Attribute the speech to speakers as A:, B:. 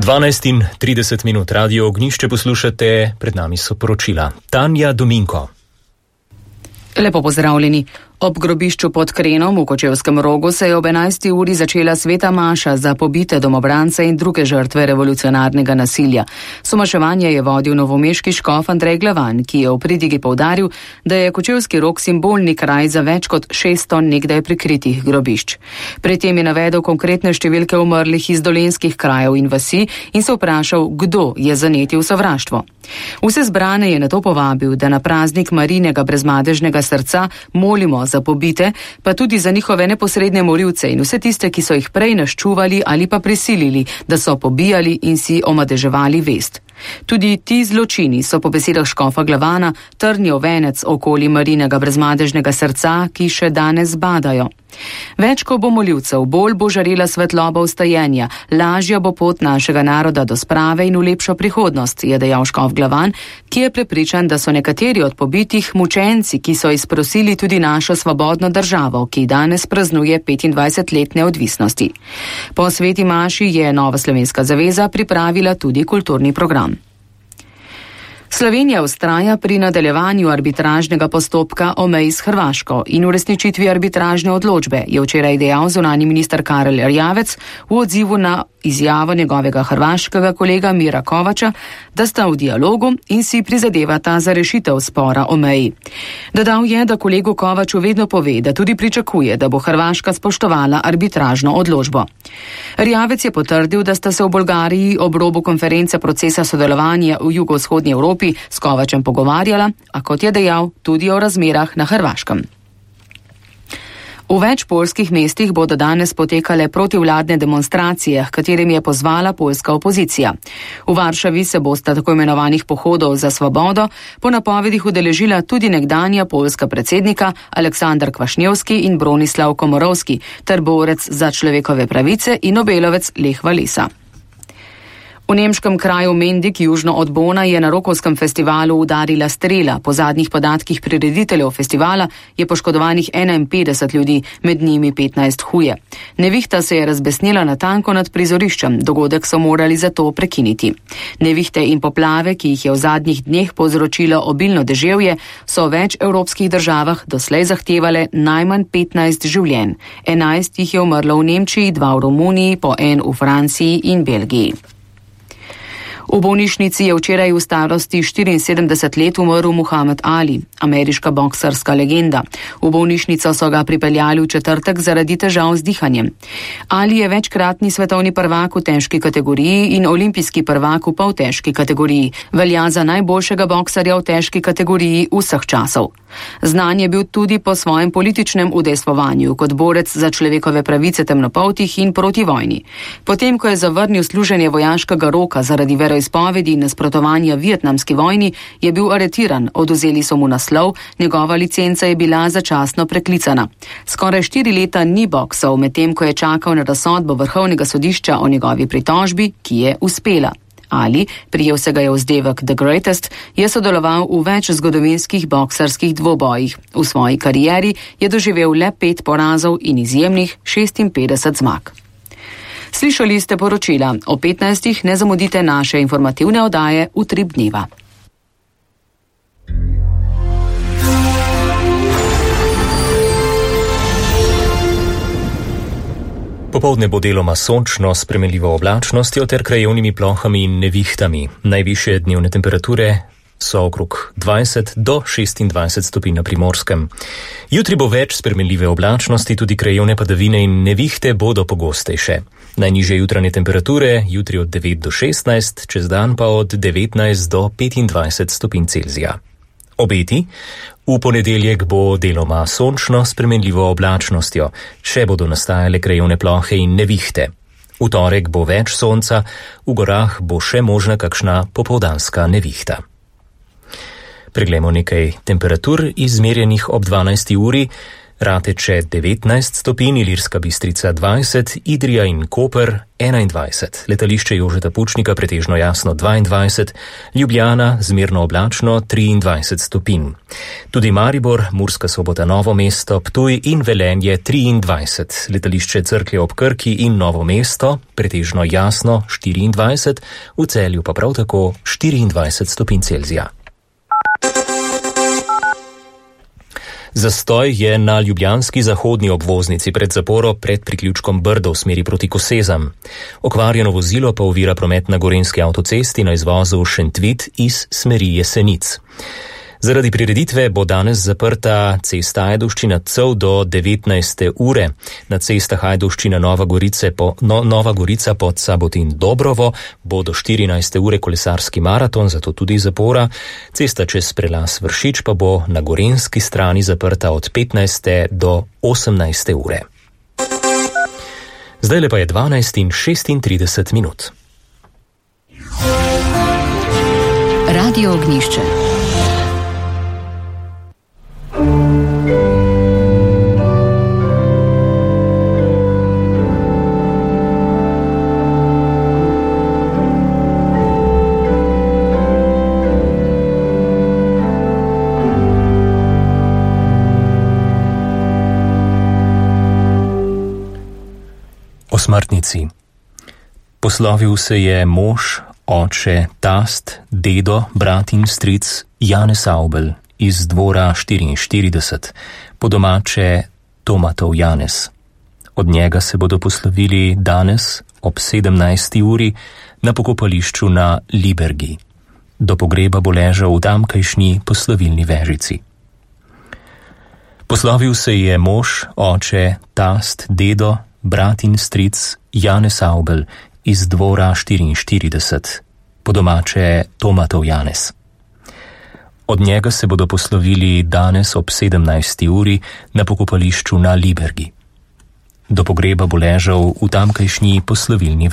A: 12:30 Radio Ognjišče poslušate, pred nami so poročila. Tanja Dominko.
B: Lepo pozdravljeni. Ob grobišču pod Krenom v Kočevskem Rogu se je ob 11. uri začela sveta maša za pobite domobrance in druge žrtve revolucionarnega nasilja. Somaševanje je vodil novomeški škof Andrej Glavan, ki je v pridigi poudaril, da je Kočevski Rog simbolni kraj za več kot 600 nekdaj prikritih grobišč. Pri tem je navedel konkretne številke umrlih iz dolenskih krajev in vasi in se vprašal, kdo je zanetil sovraštvo. Vse zbrane je nato povabil, da na praznik Marijinega brezmadežnega srca molimo za pobite, pa tudi za njihove neposredne morilce in vse tiste, ki so jih prej naščuvali ali pa prisilili, da so pobijali in si omadeževali vest. Tudi ti zločini so po besedah škofa Glavana trnjev venec okoli Marijinega brezmadežnega srca, ki še danes badajo. Več ko bo moljivcev, bolj bo žarela svetloba vstajenja, lažja bo pot našega naroda do sprave in v lepšo prihodnost, je dejal škof Glavan, ki je prepričan, da so nekateri od pobitih mučenci, ki so izprosili tudi našo svobodno državo, ki danes praznuje 25 let neodvisnosti. Po sveti maši je Nova slovenska zaveza pripravila tudi kulturni program. Slovenija vztraja pri nadaljevanju arbitražnega postopka o meji s Hrvaško in uresničitvi arbitražne odločbe, je včeraj dejal zunanji minister Karel Erjavec v odzivu na izjavo njegovega hrvaškega kolega Mira Kovača, da sta v dialogu in si prizadevata za rešitev spora o meji. Dodal je, da kolegu Kovaču vedno pove, da tudi pričakuje, da bo Hrvaška spoštovala arbitražno odločbo. Erjavec je potrdil, da sta se v Bolgariji ob robu konference procesa sodelovanja v jugovzhodnji Evropi s Kovačem pogovarjala, a kot je dejal, tudi o razmerah na Hrvaškem. V več poljskih mestih bodo danes potekale protivladne demonstracije, katerim je pozvala poljska opozicija. V Varšavi se bosta tako imenovanih pohodov za svobodo po napovedih udeležila tudi nekdanja poljska predsednika Aleksandar Kvašnjevski in Bronislav Komorovski ter borec za človekove pravice in Nobelovec Lech Walesa. V nemškem kraju Mendig, južno od Bona, je na rokovskem festivalu udarila strela. Po zadnjih podatkih prirediteljev festivala je poškodovanih 51 ljudi, med njimi 15 huje. Nevihta se je razbesnila natanko nad prizoriščem, dogodek so morali zato prekiniti. Nevihte in poplave, ki jih je v zadnjih dneh povzročilo obilno deževje, so v več evropskih državah doslej zahtevale najmanj 15 življenj. 11 jih je umrlo v Nemčiji, 2 v Romuniji, po 1 v Franciji in Belgiji. V bolnišnici je včeraj v starosti 74 let umrl Muhamed Ali, ameriška boksarska legenda. V bolnišnico so ga pripeljali v četrtek zaradi težav z dihanjem. Ali je večkratni svetovni prvak v težki kategoriji in olimpijski prvak v poltežki kategoriji. Velja za najboljšega boksarja v težki kategoriji vseh časov. Znan je bil tudi po svojem političnem udejstvovanju kot borec za človekove pravice temnopoltih in proti vojni. Potem, ko je zavrnil služenje vojaškega roka zaradi veroizpovedi in nasprotovanja vietnamski vojni, je bil aretiran, odvzeli so mu naslov, njegova licenca je bila začasno preklicana. Skoraj 4 leta ni boksal, medtem ko je čakal na razsodbo vrhovnega sodišča o njegovi pritožbi, ki je uspela. Ali, prijel se ga je vzdevek The Greatest, je sodeloval v več zgodovinskih boksarskih dvobojih. V svoji karieri je doživel le 5 porazov in izjemnih 56 zmag. Slišali ste poročila. O 15. ne zamudite naše informativne oddaje Utrip dneva.
A: Popoldne bo deloma sončno s spremenljivo oblačnostjo ter krajevnimi plohami in nevihtami. Najvišje dnevne temperature so okrog 20 do 26 stopinj na Primorskem. Jutri bo več spremenljive oblačnosti, tudi krajevne padavine in nevihte bodo pogostejše. Najnižje jutranje temperature jutri od 9 do 16, čez dan pa od 19 do 25 stopinj Celzija. Obeti? V ponedeljek bo deloma sončno s spremenljivo oblačnostjo, še bodo nastajale krajevne plohe in nevihte. V torek bo več sonca, v gorah bo še možna kakšna popoldanska nevihta. Preglejmo nekaj temperatur izmerjenih ob 12. uri. Rateče 19 stopinj, Ilirska Bistrica 20, Idrija in Koper 21, letališče Jožeta Pučnika pretežno jasno 22, Ljubljana zmerno oblačno 23 stopinj. Tudi Maribor, Murska Sobota, Novo mesto, Ptuj in Velenje 23, letališče Cerklje ob Krki in Novo mesto pretežno jasno 24, v Celju pa prav tako 24 stopinj Celzija. Zastoj je na ljubljanski zahodni obvoznici pred zaporo pred priključkom Brdo v smeri proti Kosezam. Okvarjeno vozilo pa ovira promet na Gorenjski avtocesti na izvozu Šentvid iz smeri Jesenic. Zaradi prireditve bo danes zaprta cesta Ajdovščina-Cev do 19. ure. Na cestah Ajdovščina-Nova Gorica pod Sabotin-Dobrovo bo do 14. ure kolesarski maraton, zato tudi zapora. Cesta čez prelaz Vršič pa bo na gorenjski strani zaprta od 15. do 18. ure. Zdajle pa je 12:36 minut.
B: Radio Ognjišče.
A: O smrtnici. Poslovil se je mož, oče, tast, dedo, brat in stric Janez Avbelj iz dvora 44, po domače Tomatov Janez. Od njega se bodo poslovili danes ob 17. uri na pokopališču na Libergi. Do pogreba bo ležal v tamkajšnji poslovilni vežici. Poslovil se je mož, oče, tast, dedo, brat in stric Janez Avbelj iz dvora 44, po domače Tomatov Janez. Od njega se bodo poslovili danes ob 17. uri na pokopališču na Libergi. Do pogreba bo ležal v tamkajšnji poslovilni vežici.